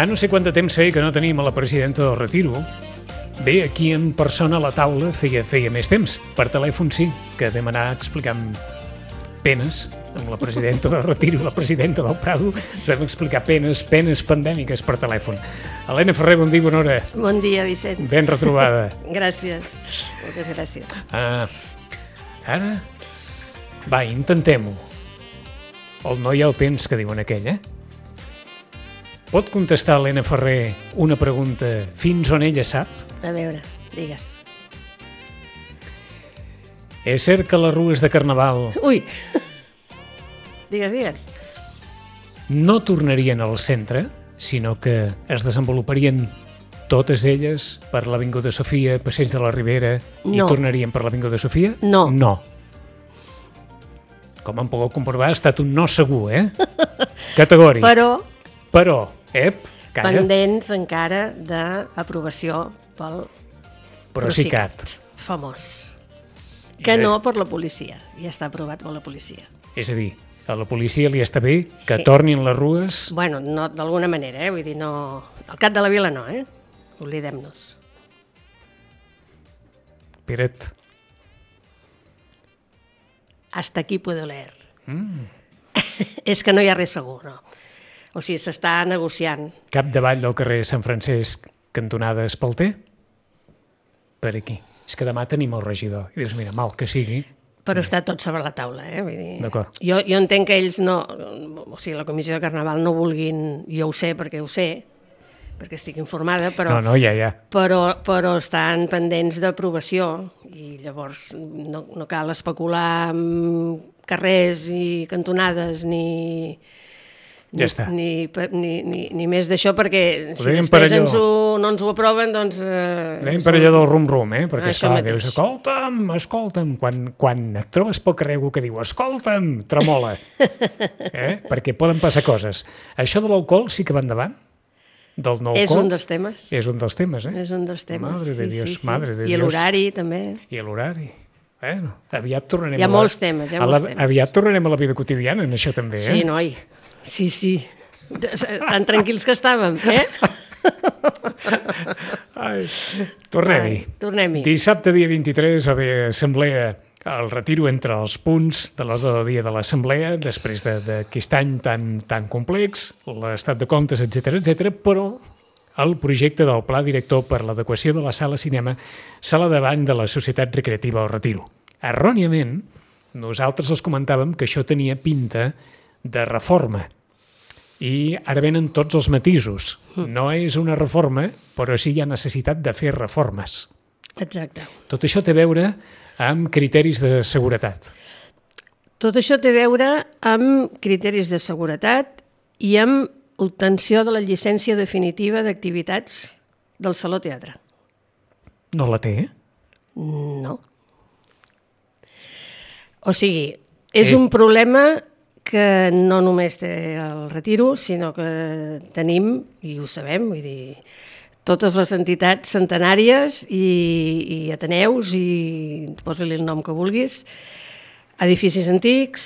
no sé quant de temps feia que no tenim a la presidenta del Retiro. Bé, aquí en persona a la taula feia més temps. Per telèfon sí, que vam anar explicant penes amb la presidenta del Retiro i la presidenta del Prado. Ens vam explicar penes pandèmiques per telèfon. Helena Ferrer, bon dia, bona hora. Bon dia, Vicent. Ben retrobada. Gràcies, moltes gràcies. Ara, va, intentem-ho. El no hi ha el temps, que diuen aquell, Pot contestar Helena Ferrer una pregunta fins on ella sap? A veure, digues. És cert que les rues de Carnaval Ui! Digues. no tornarien al centre, sinó que es desenvoluparien totes elles per l'Avinguda Sofia, Passeig de la Ribera, i No. tornarien per l'Avinguda Sofia? No. No. Com han pogut comprovar, ha estat un no segur, Categòric. Però, calla, pendents encara d'aprovació pel Procicat. famós. Que no per la policia, ja està aprovat per la policia. És a dir, a la policia li està bé que Sí. tornin les rues. Bueno, no, d'alguna manera, vull dir, no... Al cap de la vila no, Oblidem-nos. Peret, Hasta aquí puedo leer. És que no hi ha res segur, no. O sigui, s'està negociant. capdavall del carrer Sant Francesc, cantonada Espalter? Per aquí. És que demà tenim el regidor. I dius, mira, mal que sigui. Però està tot sobre la taula, Vull dir, D'acord. Jo entenc que ells no... O sigui, la Comissió de Carnaval no vulguin... Jo ho sé, perquè estic informada, però... No, ja. Però estan pendents d'aprovació i llavors no cal especular amb carrers i cantonades Ja està. ni més d'això, perquè si deien per després allò. no ens ho aproven, doncs... Anem per allò del rum-rum, Perquè, Això esclar, mateix. dius, escolta'm. Quan et trobes pel carrer algú que diu, escolta'm, tremola. Perquè poden passar coses. Això de l'alcohol sí que va endavant? Del nou És alcohol? un dels temes. És un dels temes, És un dels temes. Madre de Dios, sí. madre de I Dios. l'horari, també. I l'horari. Bueno, aviat tornarem Hi ha molts temes, Aviat tornarem a la vida quotidiana, en això també, Sí, noi. Sí. Tan tranquils que estàvem, Ai, tornem-hi. Tornem-hi. Dissabte, dia 23, va haver assemblea al Retiro entre els punts de l'ordre del dia de l'assemblea, després d'aquest any tan complex, l'estat de comptes, etc, però el projecte del Pla Director per l'adequació de la sala cinema sala davant de la Societat Recreativa del Retiro. Erròniament, nosaltres els comentàvem que això tenia pinta de reforma. I ara venen tots els matisos. No és una reforma, però sí hi ha necessitat de fer reformes. Exacte. Tot això té a veure amb criteris de seguretat. Tot això té a veure amb criteris de seguretat i amb obtenció de la llicència definitiva d'activitats del Saló Teatre. No la té? No. O sigui, és un problema que no només té el Retiro, sinó que tenim, i ho sabem, vull dir, totes les entitats centenàries i ateneus, i posa-li el nom que vulguis, edificis antics.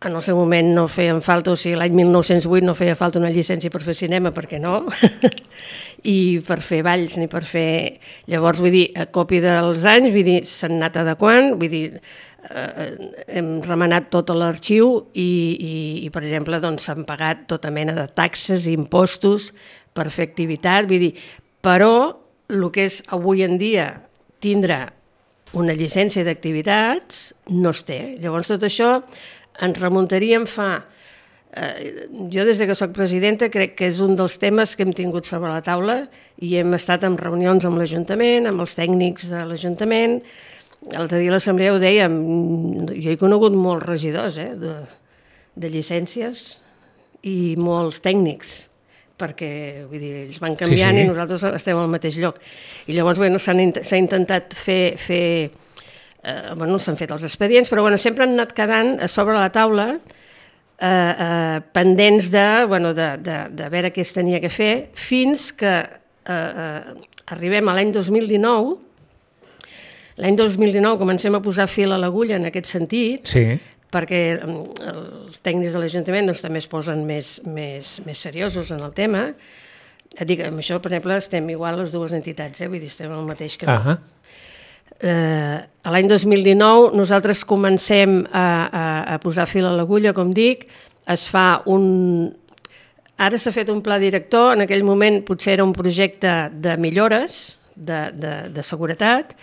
En el seu moment no feien falta, o sigui, l'any 1908 no feia falta una llicència per fer cinema, perquè no, i per fer balls ni per fer... Llavors, vull dir, a còpia dels anys, vull dir, s'han anat adequant, vull dir, hem remenat tot l'arxiu i, per exemple, doncs s'han pagat tota mena de taxes i impostos per fer activitat, vull dir, però el que és avui en dia tindre una llicència d'activitats no es té. Llavors, tot això ens remuntaríem fa... Jo, des que soc presidenta, crec que és un dels temes que hem tingut sobre la taula i hem estat en reunions amb l'Ajuntament, amb els tècnics de l'Ajuntament. L'altre dia a l'Assemblea ho dèiem, jo he conegut molts regidors de llicències i molts tècnics, perquè vull dir, ells van canviant i nosaltres estem al mateix lloc. I llavors s'ha intentat fer s'han fet els expedients, però sempre han anat quedant a sobre la taula pendents de veure què es tenia que fer, fins que arribem a l'any 2019. L'any 2019 comencem a posar fil a l'agulla en aquest sentit, perquè els tècnics de l'Ajuntament doncs, també es posen més seriosos en el tema. Et dic, amb això, per exemple, estem igual les dues entitats, vull dir, estem al mateix camí. L'any 2019 nosaltres comencem a posar fil a l'agulla, com dic, es fa Ara s'ha fet un pla director, en aquell moment potser era un projecte de millores de seguretat,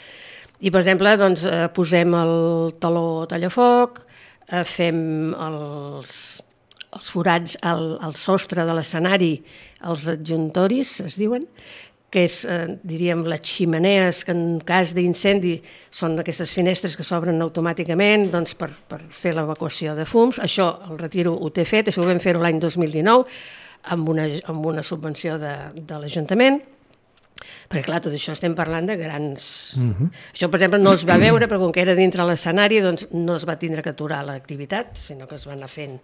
i per exemple doncs, posem el taló tallafoc, fem els forats al sostre de l'escenari, els adjuntoris es diuen, que és, diríem, les ximenees que en cas d'incendi són aquestes finestres que s'obren automàticament doncs, per fer l'evacuació de fums. Això el Retiro ho té fet, això ho vam fer l'any 2019 amb una subvenció de l'Ajuntament, perquè clar, tot això estem parlant de grans... Això, per exemple, no es va veure, però com que era dintre l'escenari, doncs no es va tindre que aturar l'activitat, sinó que es va anar fent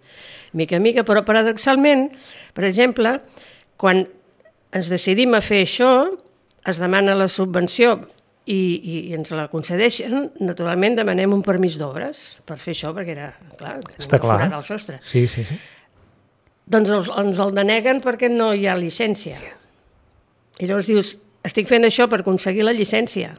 mica a mica, però paradoxalment, per exemple, quan ens decidim a fer això, es demana la subvenció i ens la concedeixen, naturalment demanem un permís d'obres per fer això, perquè era, clar, està clar, forat al sostre. Sí. Doncs ens el deneguen perquè no hi ha llicència. I llavors dius, estic fent això per aconseguir la llicència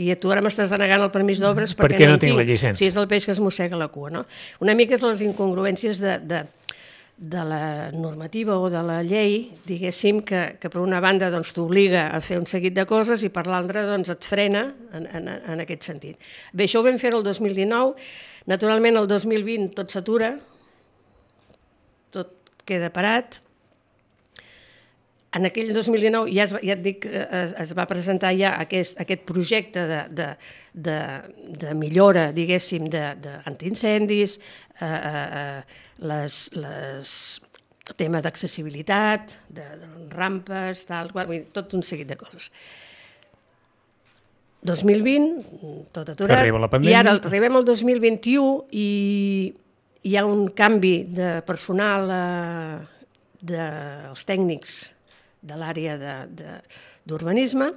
i tu ara m'estàs denegant el permís d'obres perquè no tinc la llicència. Si és el peix que es mossega la cua, no? Una mica és les incongruències de la normativa o de la llei, diguéssim, que per una banda doncs, t'obliga a fer un seguit de coses i per l'altra doncs, et frena en aquest sentit. Bé, això ho vam fer el 2019, naturalment el 2020 tot s'atura, tot queda parat. En aquell 2019 ja et dic, es va presentar ja aquest projecte de millora, diguéssim, d'antiincendis, el tema d'accessibilitat, de rampes, tot un seguit de coses. 2020, tot aturat, i ara arribem al 2021 i hi ha un canvi de personal dels tècnics de l'àrea d'urbanisme.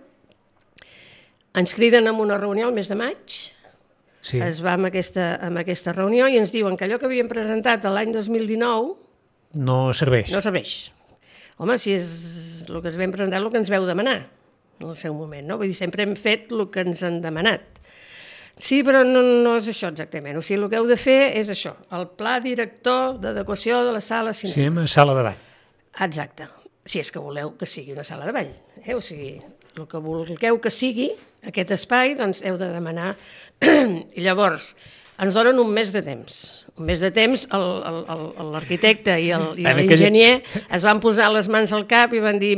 Ens criden a una reunió el mes de maig, es va amb aquesta reunió i ens diuen que allò que havíem presentat l'any 2019 no serveix. Home, si és el que es vam presentar, el que ens veu demanar en el seu moment, no? Vull dir, sempre hem fet el que ens han demanat. Sí, però no és això exactament. O sigui, el que heu de fer és això, el pla director d'adequació de la sala cinema. Cinema, sala de ball. Exacte. Si és que voleu que sigui una sala de ball. O sigui, el que vulgueu que sigui aquest espai, doncs heu de demanar. I llavors, ens donen un mes de temps. Un mes de temps, l'arquitecte i l'enginyer es van posar les mans al cap i van dir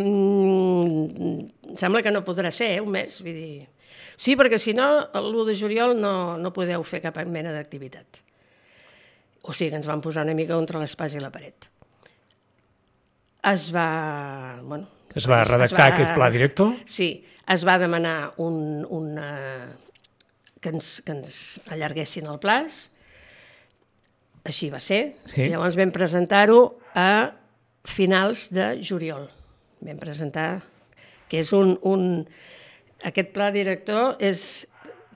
sembla que no podrà ser, un mes. Vull dir, sí, perquè si no, l'1 de juliol no podeu fer cap mena d'activitat. O sigui que ens van posar una mica entre l'espasa i la paret. Es va redactar aquest pla director? Sí, es va demanar que ens allarguessin el plaç, així va ser. Sí. Llavors vam presentar-ho a finals de juliol. Vam presentar que és aquest pla director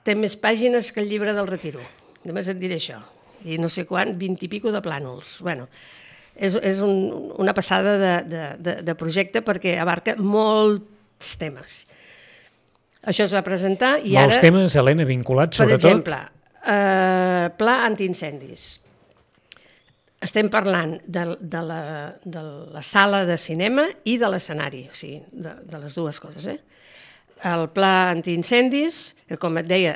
té més pàgines que el llibre del Retiro. Només et diré això. I no sé quant, 20 i pico de plànols. Bueno, és una passada de projecte perquè abarca molts temes. Això es va presentar i molts temes, Helena, vinculats sobretot... Per exemple, pla antiincendis. Estem parlant de la sala de cinema i de l'escenari, o sigui, de les dues coses. El pla antiincendis, que com et deia,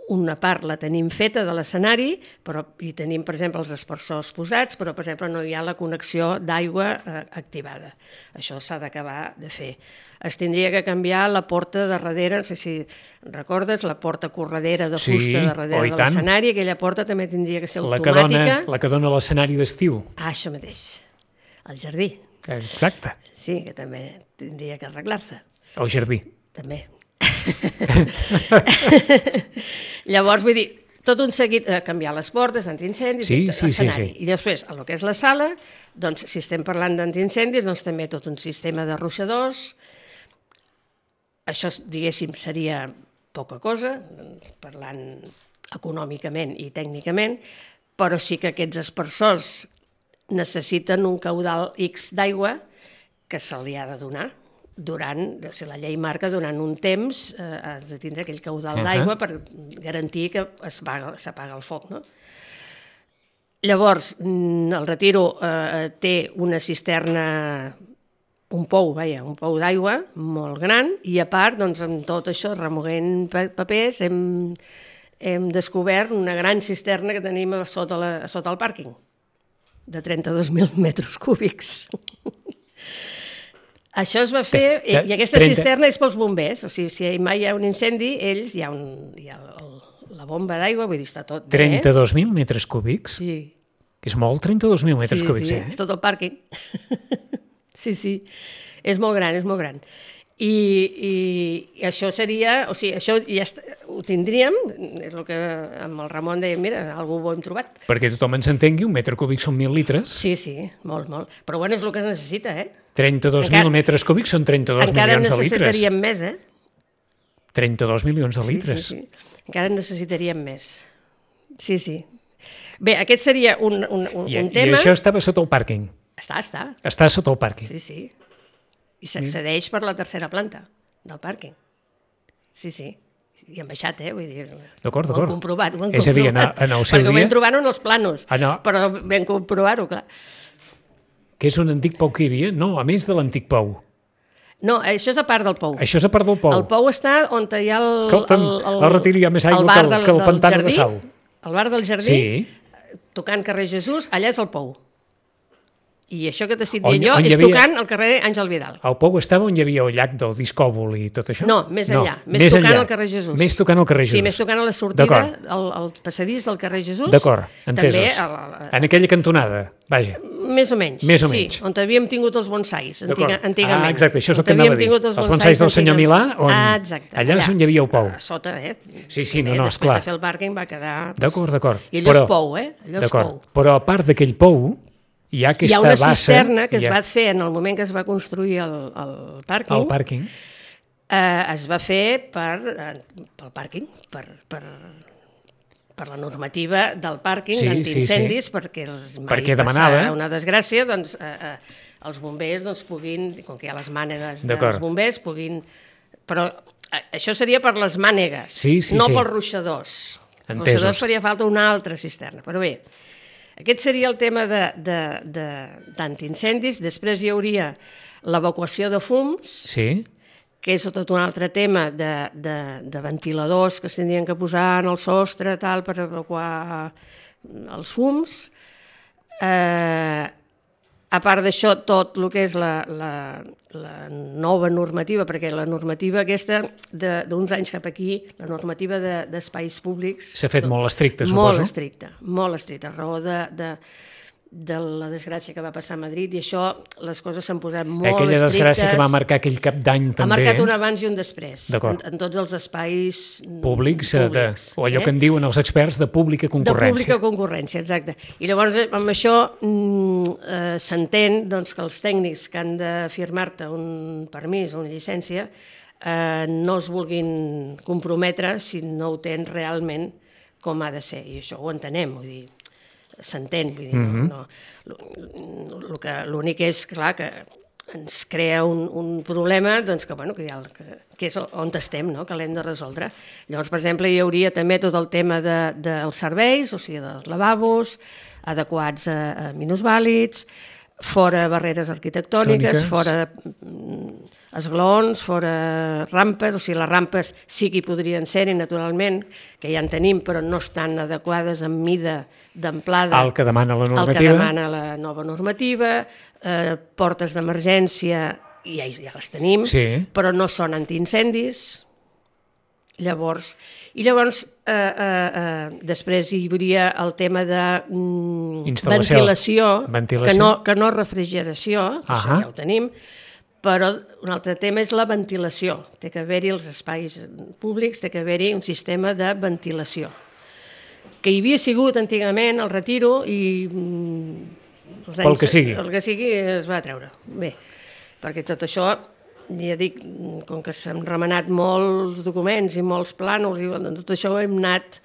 una part la tenim feta de l'escenari, però hi tenim, per exemple, els esparçors posats, però, per exemple, no hi ha la connexió d'aigua activada. Això s'ha d'acabar de fer. Es tindria que canviar la porta de darrere, no sé si recordes, la porta corredera de fusta de darrere de l'escenari, aquella porta també tindria que ser automàtica. La que dona l'escenari d'estiu. Ah, això mateix, el jardí. Exacte. Sí, que també tindria que arreglar-se. El jardí. També. Llavors, vull dir, tot un seguit, canviar les portes, antiincendis, l'escenari. I després, el que és la sala, doncs, si estem parlant d'antiincendis, doncs també tot un sistema de ruixadors. Això, diguéssim, seria poca cosa, parlant econòmicament i tècnicament, però sí que aquests aspersors necessiten un caudal X d'aigua que se li ha de donar la llei marca durant un temps has de tindre aquell caudal d'aigua per garantir que s'apaga el foc, no? Llavors, el Retiro té una cisterna, un pou d'aigua molt gran, i a part, doncs, amb tot això, remoguent papers, hem descobert una gran cisterna que tenim sota el pàrquing, de 32.000 metres cúbics. Això es va fer, i aquesta cisterna és pels bombers, o sigui, si mai hi ha un incendi, ells, hi ha la bomba d'aigua, vull dir, està tot bé. 32.000 metres cúbics? Sí. És molt, 32.000 metres cúbics, Sí, és tot el pàrquing. Sí, és molt gran, és molt gran. I això seria, o sigui, això ja ho tindríem, és el que amb el Ramon deia, mira, alguna bo hem trobat. Perquè tothom ens entengui, un metre cúbic són 1.000 litres. Sí, molt. Però bueno, és el que es necessita, 32.000 metres cúbics són 32 milions de litres. Encara necessitaríem més, 32 milions de litres. Sí. Encara necessitaríem més. Sí. Bé, aquest seria un tema... I això estava sota el pàrquing? Està. Està sota el pàrquing? Sí. I s'accedeix per la tercera planta del pàrquing. Sí. I han baixat, vull dir... D'acord. Ho han comprovat. És a dir, en el seu dia... Perquè ho vam trobar en els planos, però vam comprovar-ho, clar. Que és un antic pou que hi havia? No, a més de l'antic pou. No, això és a part del pou. Això és a part del pou. El pou està on hi ha el Retiro hi ha més aigua que el pantà de Sau. El bar del jardí, tocant carrer Jesús, allà és el pou. I això que t'he dit jo és tocant el carrer Àngel Vidal. El pou estava on hi havia el llac del Discòbol i tot això? No, més enllà. Més tocant el carrer Jesús. Més tocant el carrer Jesús. Sí, més tocant a la sortida, el passadís del carrer Jesús. D'acord, entesos. En aquella cantonada, vaja. Més o menys, sí. On havíem tingut els bonsais, antigament. Exacte, això és el que anava a dir. Els bonsais del senyor Milà, allà és on hi havia el pou. A sota, Sí, no, esclar. Després de fer el pàrquing va quedar... D'acord. I allò és pou, allò és pou. Però a part d'aquell pou, hi ha una cisterna que es va fer en el moment que es va construir el pàrquing. El pàrquing. Es va fer pel pàrquing, per la normativa del pàrquing d'antiincendis, perquè mai passar una desgràcia, doncs els bombers puguin, com que hi ha les mànegues dels bombers, puguin... Però això seria per les mànegues, no pels ruixadors. Els ruixadors faria falta una altra cisterna, però bé... Aquest seria el tema d'antiincendis. Després hi hauria l'evacuació de fums, que és tot un altre tema de ventiladors que es tindrien que posar en el sostre per evacuar els fums. A part d'això, tot el que és la nova normativa, perquè la normativa aquesta d'uns anys cap aquí, la normativa d'espais públics... S'ha fet molt estricta, suposo. Molt estricta, a raó de la desgràcia que va passar a Madrid, i això, les coses s'han posat molt estrictes. Aquella desgràcia que va marcar aquell cap d'any també. Ha marcat un abans i un després, en tots els espais públics, o allò que en diuen els experts de pública concurrència. De pública concurrència, exacte. I llavors, amb això s'entén que els tècnics que han de firmar-te un permís o una llicència no es vulguin comprometre si no ho tens realment com ha de ser, i això ho entenem, vull dir, s'entén, vull dir, l'únic és, clar, que ens crea un problema que és on estem, que l'hem de resoldre. Llavors, per exemple, hi hauria també tot el tema dels serveis, o sigui, dels lavabos, adequats a minusvàlids, fora barreres arquitectòniques, fora esglaons, fora rampes, o sigui, les rampes sí que hi podrien ser-hi, naturalment, que ja en tenim, però no estan adequades en mida d'amplada al que demana la normativa. Al que demana la nova normativa, portes d'emergència, ja les tenim, però no són antiincendis. Llavors, després hi hauria el tema de ventilació, que no refrigeració, això ja ho tenim, però un altre tema és la ventilació. Té que haver-hi els espais públics, té que haver-hi un sistema de ventilació, que hi havia sigut antigament al Retiro i el que sigui es va treure. Bé, perquè tot això, ja dic, com que s'han remenat molts documents i molts plànols, i tot això ho hem anat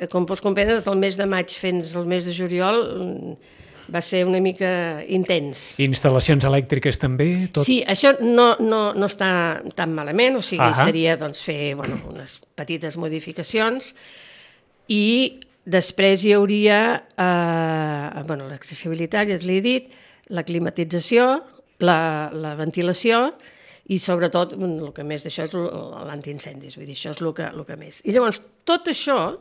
com pots comprendre, des del mes de maig fins al mes de juliol va ser una mica intens. Instal·lacions elèctriques també? Tot? Sí, això no està tan malament, o sigui, seria doncs, fer unes petites modificacions i després hi hauria l'accessibilitat, ja l'he dit, la climatització, la ventilació i sobretot el que més d'això és l'antiincendis, vull dir, això és el que més. I llavors tot això,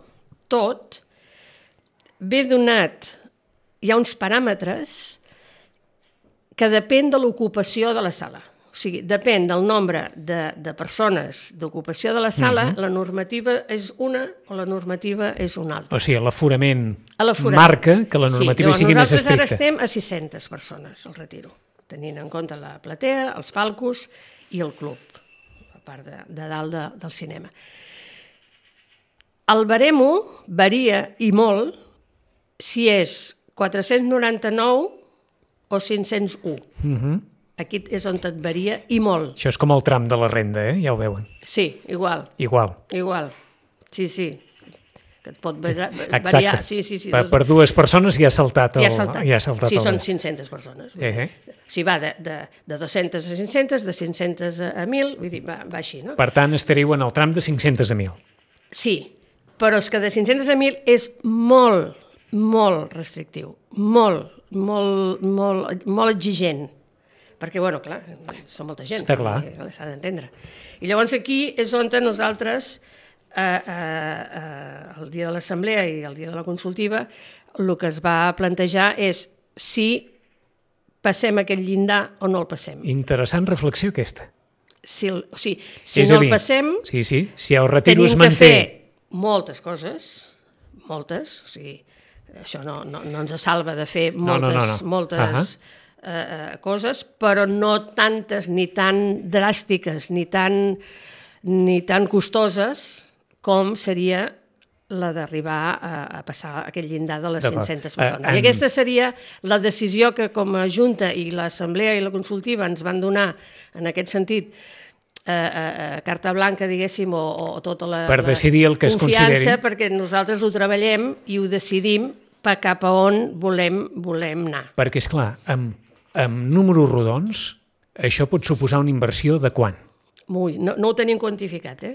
ve donat, hi ha uns paràmetres que depèn de l'ocupació de la sala. O sigui, depèn del nombre de persones d'ocupació de la sala, la normativa és una o la normativa és una altra. O sigui, l'aforament marca que la normativa sigui més estricta. Nosaltres ara estem a 600 persones al Retiro, tenint en compte la platea, els palcos i el club, a part de dalt del cinema. El baremo varia i molt si és 499 o 501. Aquí és on et varia i molt. Això és com el tram de la renda, ja ho veuen. Sí, igual. Igual. Sí. Que et pot variar. Sí. Per dues persones ja ha saltat el... Sí, són 500 persones. Si va de 200 a 500, de 500 a 1.000, vull dir, va així, no? Per tant, estariu en el tram de 500 a 1.000. Sí, però és que de 500 a 1.000 és molt restrictiu, molt exigent, perquè, clar, som molta gent, s'ha d'entendre. I llavors aquí és on nosaltres, el dia de l'assemblea i el dia de la consultiva, el que es va plantejar és si passem aquest llindar o no el passem. Interessant reflexió aquesta. Si no el passem, si el Retiro es manté... Tenim que fer moltes coses, o sigui, això no ens salva de fer moltes coses, però no tantes ni tan dràstiques ni tan costoses com seria la d'arribar a passar aquest llindar de les 500 persones. I aquesta seria la decisió que com a Junta i l'Assemblea i la Consultiva ens van donar en aquest sentit carta blanca, diguéssim, o tota la per decidir el que es consideri. Confiança, perquè nosaltres ho treballem i ho decidim cap a on volem anar. Perquè, esclar, amb números rodons, això pot suposar una inversió de quant? No ho tenim quantificat,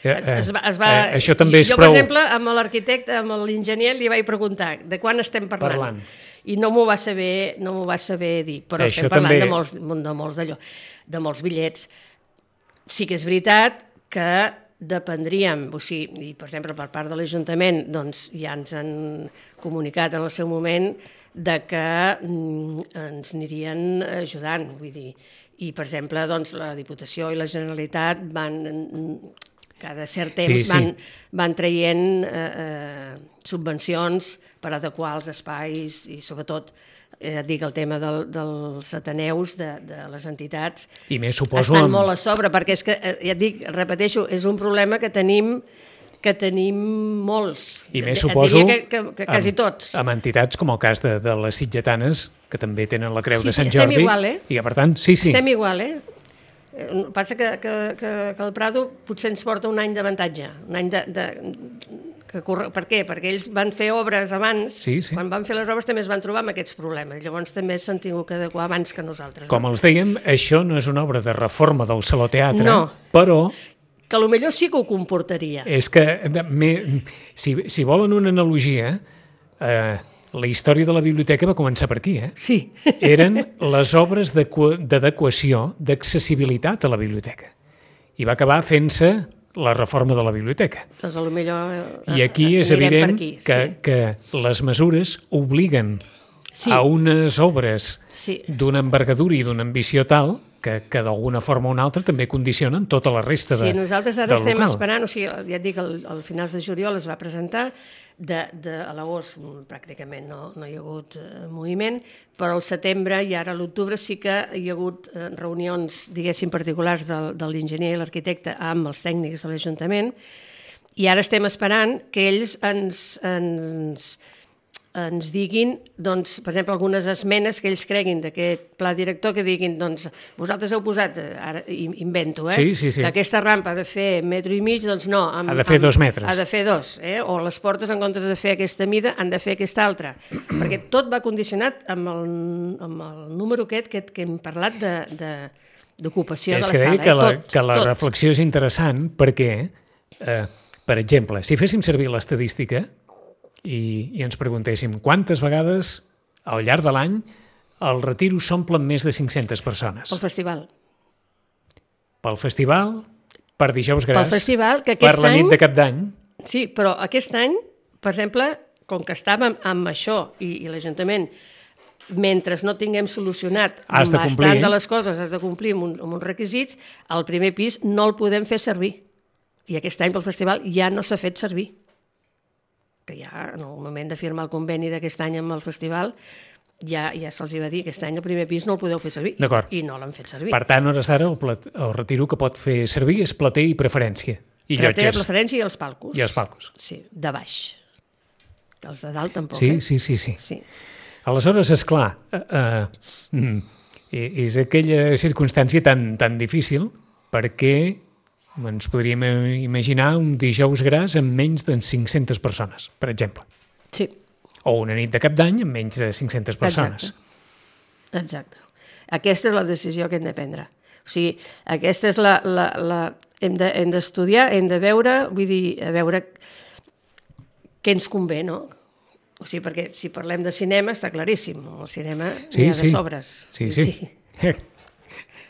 Això també és prou... Jo, per exemple, amb l'arquitecte, amb l'enginyer, li vaig preguntar de quan estem parlant. I no m'ho va saber dir, però estem parlant de molts bitllets. Sí que és veritat que dependríem, o sigui, per exemple, per part de l'Ajuntament, doncs ja ens han comunicat en el seu moment de que ens anirien ajudant, vull dir, i per exemple, doncs la Diputació i la Generalitat cada cert temps van traient subvencions per adequar els espais i sobretot dic el tema dels ateneus de les entitats estan molt a sobre, perquè és que, ja et dic, repeteixo, és un problema que tenim molts. I més suposo que quasi tots. Amb entitats com el cas de les sitgetanes, que també tenen la Creu de Sant Jordi. Estem igual, I que, per tant, Estem igual, Passa que el Prado potser ens porta un any d'avantatge, un any per què? Perquè ells van fer obres abans, quan van fer les obres també es van trobar amb aquests problemes, llavors també s'han tingut que adequar abans que nosaltres. Com els dèiem, això no és una obra de reforma del Saló Teatre, però... Que potser sí que ho comportaria. És que, si volen una analogia, la història de la biblioteca va començar per aquí, Sí. Eren les obres d'adequació, d'accessibilitat a la biblioteca. I va acabar fent-se la reforma de la biblioteca. Doncs potser I aquí és evident que les mesures obliguen a unes obres d'una envergadura i d'una ambició tal que d'alguna forma o una altra també condicionen tota la resta del local. Sí, nosaltres ara estem esperant, o sigui, ja et dic, al finals de juliol es va presentar, a l'agost pràcticament no hi ha hagut moviment, però al setembre i ara a l'octubre sí que hi ha hagut reunions, diguéssim, particulars de l'enginyer i l'arquitecte amb els tècnics de l'Ajuntament, i ara estem esperant que ells ens ens diguin, doncs, per exemple, algunes esmenes que ells creguin d'aquest pla director, que diguin, doncs, vosaltres heu posat, ara invento, Sí. que aquesta rampa ha de fer 1,5 metres, doncs no. Ha de fer 2 metres. Ha de fer 2, o les portes, en comptes de fer aquesta mida, han de fer aquesta altra. Perquè tot va condicionat amb el número aquest que hem parlat d'ocupació de la sala. És que deia que la reflexió és interessant perquè, per exemple, si féssim servir l'estadística i ens preguntéssim quantes vegades al llarg de l'any el Retiro s'omple amb més de 500 persones. Pel festival. Pel festival, per Dijous Gras, pel festival, que per la nit de Cap d'Any. Sí, però aquest any, per exemple, com que estàvem amb això i l'Ajuntament, mentre no tinguem solucionat bastant de les coses, has de complir amb uns requisits, el primer pis no el podem fer servir. I aquest any pel festival ja no s'ha fet servir. Que ja en el moment de firmar el conveni d'aquest any amb el festival ja se'ls va dir que aquest any el primer pis no el podeu fer servir i no l'han fet servir. Per tant, hores d'ara el Retiro que pot fer servir és plater i preferència i llotges. Plater, preferència i els palcos. I els palcos. Sí, de baix. Que els de dalt tampoc. Sí. Aleshores, esclar, és aquella circumstància tan difícil perquè ens podríem imaginar un Dijous Gras amb menys de 500 persones, per exemple. Sí. O una nit de Cap d'Any amb menys de 500 persones. Exacte. Aquesta és la decisió que hem de prendre. O sigui, aquesta és hem d'estudiar, hem de veure, vull dir, a veure què ens convé, no? O sigui, perquè si parlem de cinema està claríssim, el cinema n'hi ha de sobres. Sí.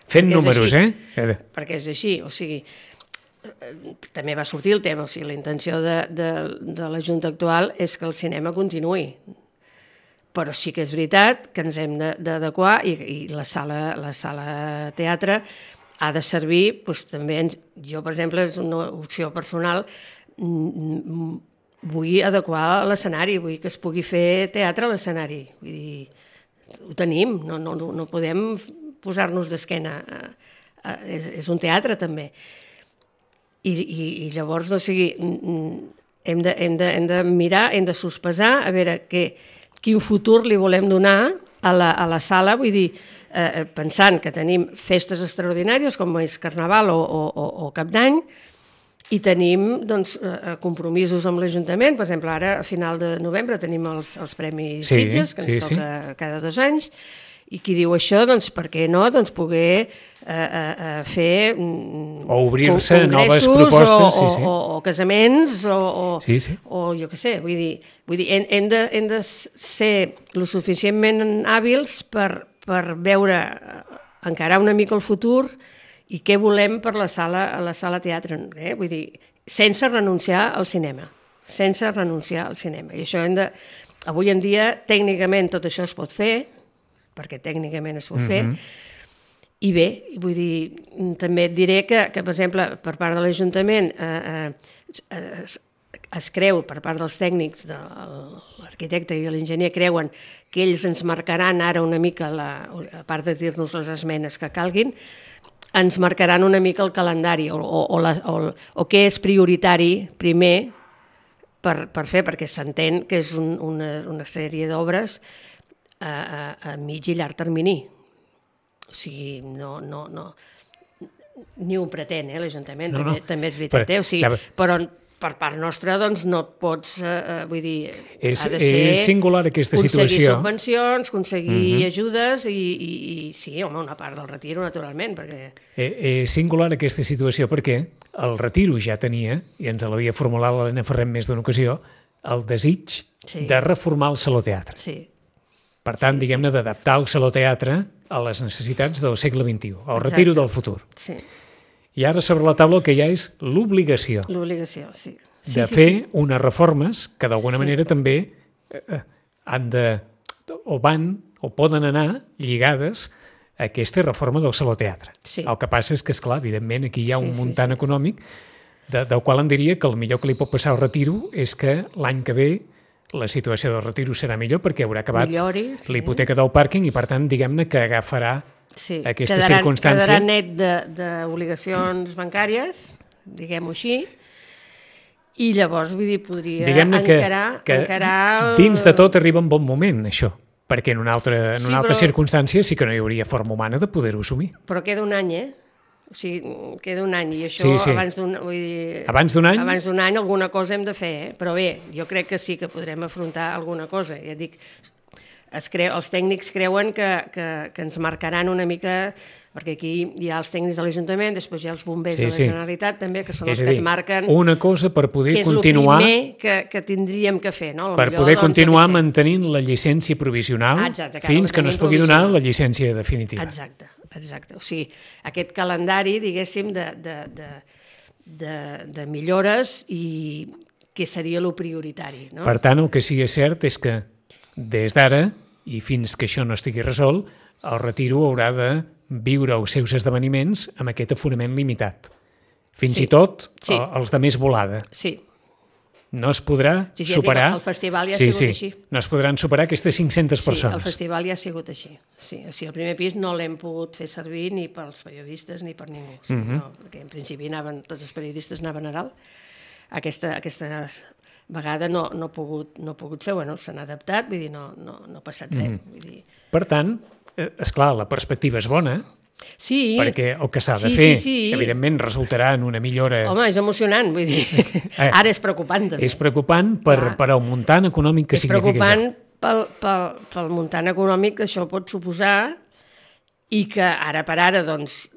Fent números, Perquè és així, o sigui, també va sortir el tema, o sigui, la intenció de la Junta actual és que el cinema continuï, però sí que és veritat que ens hem d'adequar i la sala teatre ha de servir, doncs també, jo per exemple, és una opció personal, vull adequar l'escenari, vull que es pugui fer teatre a l'escenari, vull dir, ho tenim, no podem posar-nos d'esquena, és un teatre també. I llavors, o sigui, hem de mirar, hem de sospesar, a veure quin futur li volem donar a la sala, vull dir, pensant que tenim festes extraordinàries com és Carnaval o Cap d'Any, i tenim compromisos amb l'Ajuntament. Per exemple, ara, a final de novembre, tenim els Premis Sitges, que ens toca cada 2 anys, i qui diu això, doncs per què no poder fer o obrir-se noves propostes o casaments o jo què sé, vull dir hem de ser lo suficientment hàbils per veure encarar una mica el futur i què volem per la sala teatre, vull dir, sense renunciar al cinema, i això avui en dia tècnicament tot això es pot fer, perquè tècnicament es pot fer, i bé, vull dir, també et diré que per exemple, per part de l'Ajuntament es creu, per part dels tècnics, de l'arquitecte i l'enginyer, creuen que ells ens marcaran ara una mica, a part de dir-nos les esmenes que calguin, ens marcaran una mica el calendari o què és prioritari primer per fer, perquè s'entén que és una sèrie d'obres a mig i llarg termini. O sigui, no ni ho pretén, l'Ajuntament, també és veritat, però per part nostra doncs no pots, vull dir, ha de ser singular aquesta situació. Aconseguir subvencions, aconseguir ajudes i sí, home, una part del Retiro, naturalment, perquè... És singular aquesta situació perquè el Retiro ja tenia, i ens l'havia formulat l'Helena Ferrer en més d'una ocasió, el desig de reformar el Saló Teatre. Sí. Per tant, diguem-ne, d'adaptar el Saló Teatre a les necessitats del segle XXI, al Retiro del futur. Sí. I ara sobre la taula el que hi ha és l'obligació. L'obligació, sí. De fer unes reformes que d'alguna manera també han de, o van, o poden anar lligades a aquesta reforma del Saló Teatre. Sí. El que passa és que, esclar, evidentment, aquí hi ha un muntant econòmic del qual em diria que el millor que li pot passar al Retiro és que l'any que ve la situació del Retiro serà millor perquè haurà acabat l'hipoteca del pàrquing i, per tant, diguem-ne que agafarà aquesta circumstància. Quedarà net d'obligacions bancàries, diguem-ho així, I llavors, vull dir, podria Diguem-ne que dins de tot arriba en bon moment, això, perquè en una altra circumstància sí que no hi hauria forma humana de poder-ho assumir. Però queda un any, O sigui, queda un any, i això abans d'un any? Abans d'un any alguna cosa hem de fer, Però bé, jo crec que sí que podrem afrontar alguna cosa. Ja et dic, els tècnics creuen que ens marcaran una mica, perquè aquí hi ha els tècnics de l'Ajuntament, després hi ha els bombers de la Generalitat també, que són els que et marquen una cosa per poder continuar, que és el primer que tindríem que fer. Per poder continuar mantenint la llicència provisional fins que no es pugui donar la llicència definitiva. Exacte. O sigui, aquest calendari, diguéssim, de millores i què seria el prioritari. Per tant, el que sí que és cert és que des d'ara i fins que això no estigui resolt, el Retiro haurà de viure els seus esdeveniments amb aquest aforament limitat. Fins i tot els de més volada. Sí. No es podrà superar... El festival ja ha sigut així. No es podran superar aquestes 500 persones. Sí, el festival ja ha sigut així. Sí, o sigui, el primer pis no l'hem pogut fer servir ni pels periodistes ni per ningú. No, perquè en principi tots els periodistes anaven a dalt. Aquesta vegada no ha pogut ser, se n'ha adaptat, vull dir, no ha passat res. Per tant, esclar, la perspectiva és bona, perquè el que s'ha de fer, evidentment, resultarà en una millora... Home, és emocionant, vull dir, ara és preocupant també. És preocupant per el muntant econòmic que significa això. És preocupant pel muntant econòmic que això pot suposar i que ara per ara, doncs,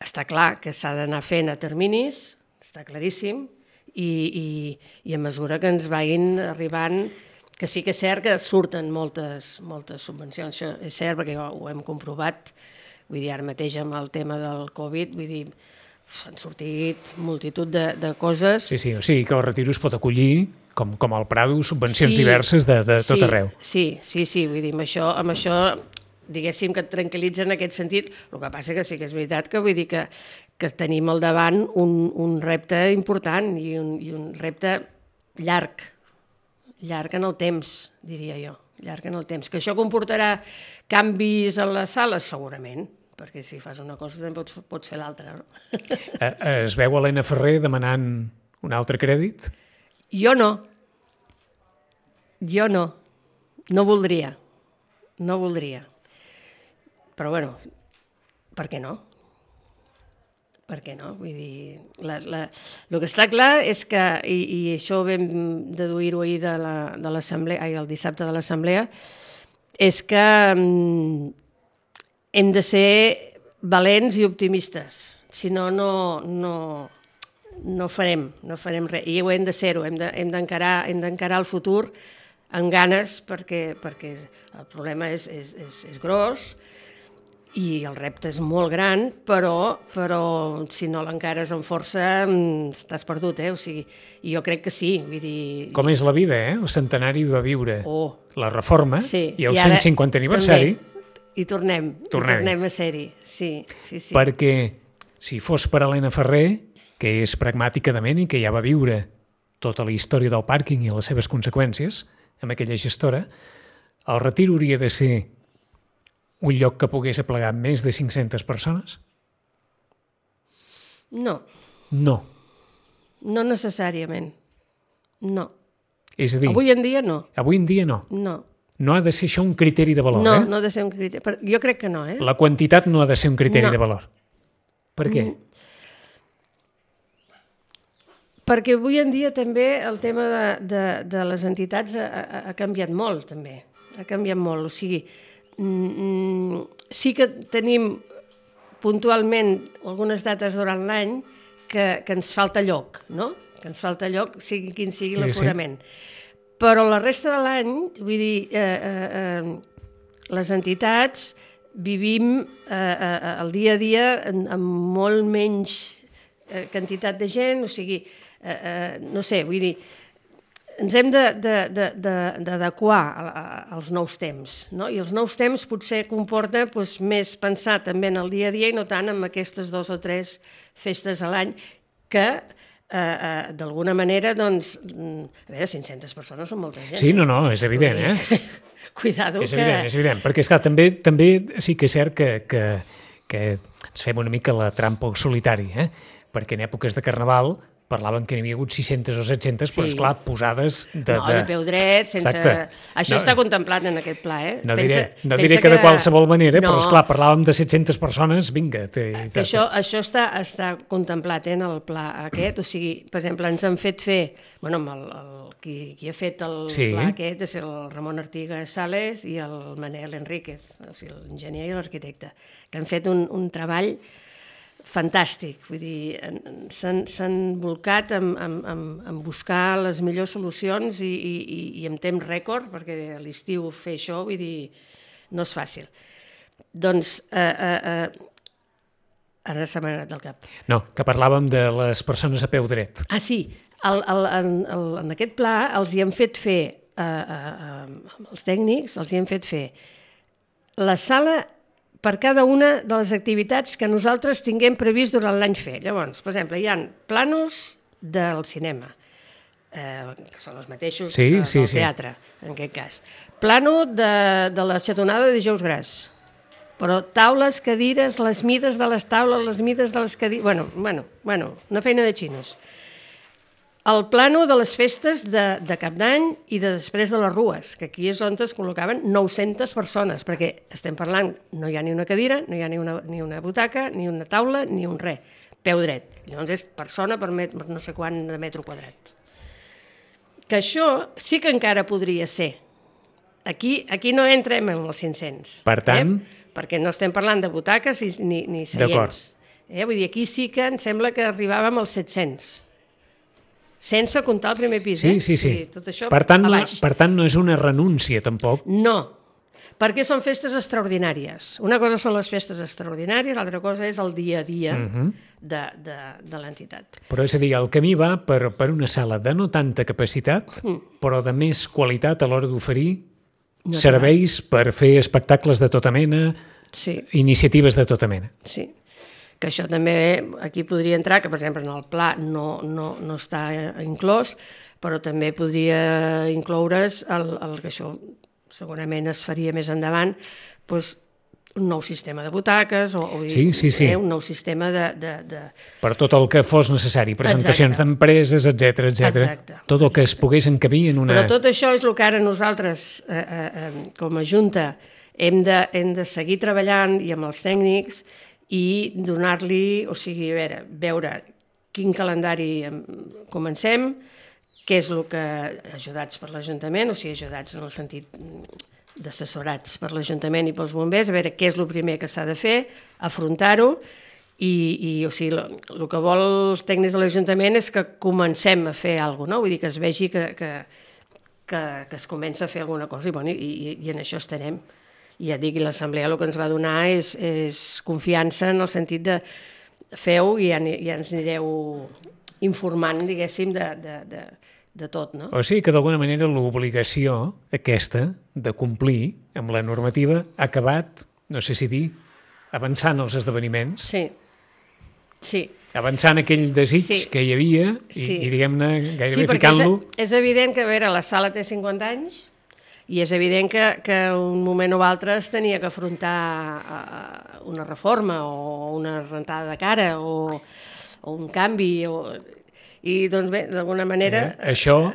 està clar que s'ha d'anar fent a terminis, està claríssim, i a mesura que ens vagin arribant, que sí que és cert que surten moltes subvencions, això és cert perquè ho hem comprovat, vull dir, ara mateix amb el tema del Covid, vull dir, han sortit multitud de coses. Sí, o sigui que el Retiro es pot acollir, com el Prado, subvencions diverses de tot arreu. Sí, vull dir, amb això diguéssim que et tranquil·litza en aquest sentit, el que passa que sí que és veritat que vull dir que tenim al davant un repte important i un repte llarg en el temps, diria jo, llarg en el temps. Que això comportarà canvis a les sales? Segurament, perquè si fas una cosa també pots fer l'altra. Es veu Helena Ferrer demanant un altre crèdit? Jo no. No voldria. Però bueno, per què no? Vull dir, el que està clar és que, i això vam deduir-ho ahir de l'assemblea, el dissabte de l'assemblea, és que hem de ser valents i optimistes, si no, no farem res, i ho hem de ser-ho, hem d'encarar el futur amb ganes, perquè el problema és gros, i el repte és molt gran, però si no l'encares amb força estàs perdut, O sigui, jo crec que sí, vull dir... Com és la vida, El centenari va viure la reforma i el 150 aniversari... I tornem a ser-hi, sí. Perquè si fos per Helena Ferrer, que és pragmàtica de ment i que ja va viure tota la història del pàrquing i les seves conseqüències, amb aquella gestora, el Retiro hauria de ser un lloc que pogués aplegar més de 500 persones? No. No. No necessàriament. No. És a dir... Avui en dia no. Avui en dia no. No. No ha de ser això un criteri de valor, No ha de ser un criteri. Jo crec que no, La quantitat no ha de ser un criteri de valor. Per què? Perquè avui en dia també el tema de les entitats ha canviat molt, també. Ha canviat molt, o sigui... sí que tenim puntualment algunes dates durant l'any que ens falta lloc, no? Que ens falta lloc, sigui quin sigui l'aforament. Però la resta de l'any, vull dir, les entitats vivim el dia a dia amb molt menys quantitat de gent, o sigui, no sé, vull dir, ens hem d'adequar als nous temps, no? I els nous temps potser comporta més pensar també en el dia a dia i no tant en aquestes 2 o 3 festes a l'any que d'alguna manera, doncs, a veure, 500 persones són molta gent. Sí, no, és evident, Cuidado que... És evident, perquè esclar, també sí que és cert que ens fem una mica la trampa al solitari, perquè en èpoques de Carnaval parlaven que n'hi havia hagut 600 o 700, però, esclar, posades de... No, de peu dret, sense... Exacte. Això està contemplat en aquest pla, eh? No diré que de qualsevol manera, però, esclar, parlàvem de 700 persones, vinga. Això està contemplat en el pla aquest, o sigui, per exemple, ens han fet fer... Bueno, qui ha fet el pla aquest és el Ramon Artigas Sales i el Manel Enríquez, o sigui, l'enginyer i l'arquitecte, que han fet un treball fantàstic, vull dir, s'han volcat en buscar les millors solucions i en temps rècord, perquè a l'estiu fer això, vull dir, no és fàcil. Doncs, ara se m'ha anat del cap. No, que parlàvem de les persones a peu dret. Ah, sí, en aquest pla els hi han fet fer, els tècnics, els hi han fet fer la sala per cada una de les activitats que nosaltres tinguem previst durant l'any fer. Llavors, per exemple, hi ha planos del cinema, que són els mateixos del teatre, en aquest cas. Plano de la xatonada de dijous gras, però taules, cadires, les mides de les taules, les mides de les cadires... Bueno, una feina de xinos. El plano de les festes de Cap d'Any i de després de les rues, que aquí és on es col·locaven 900 persones, perquè estem parlant, no hi ha ni una cadira, no hi ha ni una butaca, ni una taula, ni un res, peu dret. Llavors és persona per no sé quant de metre quadrat. Que això sí que encara podria ser. Aquí no entrem en els 500. Per tant... Perquè no estem parlant de butaques ni seients. D'acord. Vull dir, aquí sí que em sembla que arribàvem als 700. Sense comptar el primer pis, Sí. Tot això per tant, no és una renúncia, tampoc. No, perquè són festes extraordinàries. Una cosa són les festes extraordinàries, l'altra cosa és el dia a dia de l'entitat. Però és a dir, el camí va per una sala de no tanta capacitat, però de més qualitat a l'hora d'oferir serveis per fer espectacles de tota mena, iniciatives de tota mena. Sí. Que això també aquí podria entrar, que per exemple en el pla no està inclòs, però també podria incloure's el que això segurament es faria més endavant, doncs un nou sistema de butaques o un nou sistema de... Per tot el que fos necessari, presentacions d'empreses, etcètera. Tot el que es pogués encabir en una... Però tot això és el que ara nosaltres, com a Junta, hem de seguir treballant i amb els tècnics i donar-li, o sigui, veure quin calendari comencem, què és el que ajudats per l'Ajuntament, o sigui, ajudats en el sentit d'assessorats per l'Ajuntament i pels bombers, a veure què és el primer que s'ha de fer, afrontar-ho, i o sigui, el que vol els tècnics de l'Ajuntament és que comencem a fer alguna cosa, vull dir, que es vegi que es comença a fer alguna cosa, i en això estarem. I ja dic, l'assemblea el que ens va donar és confiança en el sentit de feu i ja ens anireu informant, diguéssim, de tot, no? O sigui que d'alguna manera l'obligació aquesta de complir amb la normativa ha acabat, no sé si dir, avançant els esdeveniments. Sí. Avançant aquell desig que hi havia i diguem-ne, gairebé ficant-lo... Sí, perquè és evident que, a veure, la sala té 50 anys, i és evident que un moment o altre es tenia que afrontar una reforma o una rentada de cara o un canvi. I doncs bé, d'alguna manera això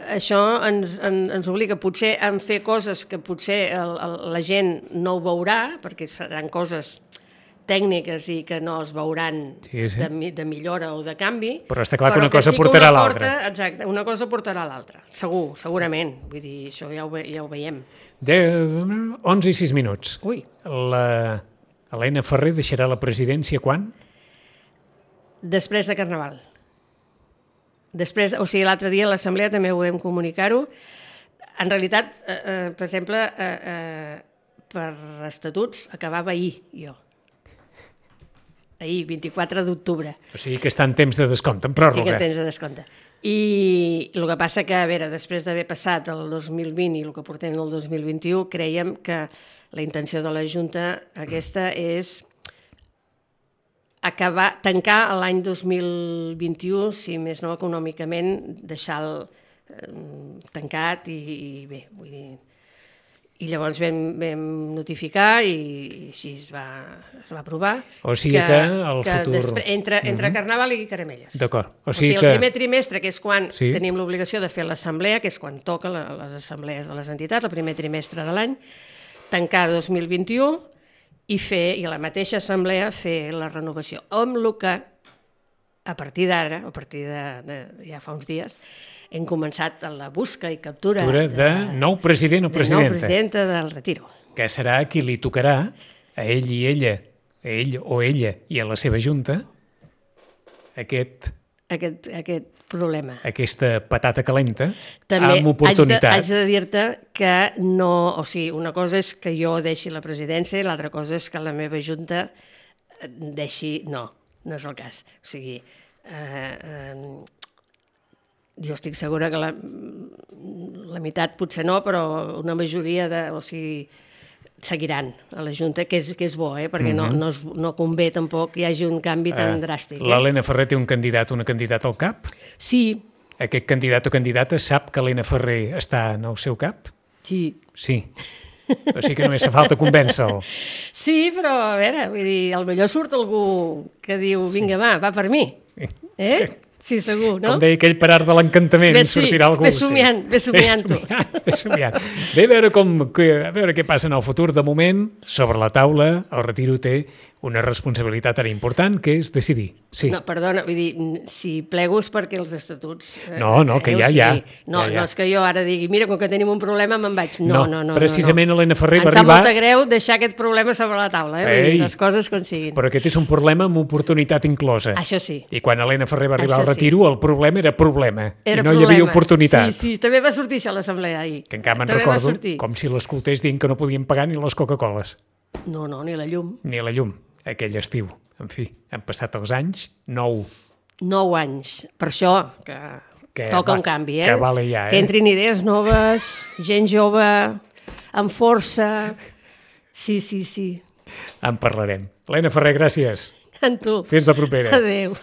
ens obliga potser a fer coses que potser la gent no ho veurà, perquè seran coses tècniques i que no es veuran de millora o de canvi. Però està clar que una cosa portarà a l'altra. Exacte, una cosa portarà a l'altra, segurament. Vull dir, això ja ho veiem. 11 i 6 minuts. Ui. L'Helena Ferrer deixarà la presidència quan? Després de Carnaval. O sigui, l'altre dia a l'Assemblea també ho vam comunicar-ho. En realitat, per exemple, per estatuts acabava ahir, jo. Ahir, 24 d'octubre. O sigui que està en temps de descompte, en pròrroga. Estic en temps de descompte. I el que passa que, a veure, després d'haver passat el 2020 i el que portem el 2021, creiem que la intenció de la Junta aquesta és tancar l'any 2021, si més no econòmicament, deixar-lo tancat i bé, vull dir... I llavors vam notificar i així es va aprovar. O sigui que el futur... Entre Carnaval i Caramelles. D'acord. O sigui, el primer trimestre, que és quan tenim l'obligació de fer l'assemblea, que és quan toca les assemblees de les entitats, el primer trimestre de l'any, tancar 2021 i a la mateixa assemblea fer la renovació. Amb el que, a partir d'ara, a partir de ja fa uns dies, hem començat la busca i captura de nou president o presidenta. De nou presidenta del Retiro. Que serà qui li tocarà a ell i ella, a ell o ella i a la seva junta, aquest problema. Aquesta patata calenta, també amb oportunitat. Haig de dir-te que no... O sigui, una cosa és que jo deixi la presidència i l'altra cosa és que la meva junta deixi... No és el cas. O sigui... jo estic segura que la meitat potser no, però una majoria seguiran a la Junta, que és bo, perquè no convé tampoc que hi hagi un canvi tan dràstic. L'Helena Ferrer té un candidat o una candidata al cap? Sí. Aquest candidat o candidata sap que Helena Ferrer està en el seu cap? Sí. Sí. O sigui que només fa falta convèncer-lo. Sí, però a veure, vull dir, potser surt algú que diu, vinga, va per mi. Sí, segur, no? Com deia aquell per art de l'encantament, sortirà algú. Ve somiant-ho. Bé, a veure què passa en el futur. De moment, sobre la taula, el Retiro té una responsabilitat tan important, que és decidir. Sí. No, perdona, vull dir, si plego és perquè els estatuts... No, que ja. No és que jo ara digui, mira, com que tenim un problema me'n vaig. No. Precisament Helena Ferrer va arribar... Em sap molt greu deixar aquest problema sobre la taula, les coses com siguin. Però aquest és un problema amb oportunitat inclosa. Això sí. I quan Helena Ferrer va arribar al Retiro, el problema era problema. I no hi havia oportunitat. Sí, també va sortir això a l'assemblea ahir. Que encara me'n recordo com si l'escoltés dient que no podien pagar ni les Coca-Coles. No, ni la llum. Ni la llum. Aquell estiu. En fi, han passat els anys, 9. 9 anys. Per això que toca un canvi, Que vale ja, Que entrin idees noves, gent jove, amb força... Sí. En parlarem. Helena Ferrer, gràcies. En tu. Fins la propera. Adéu.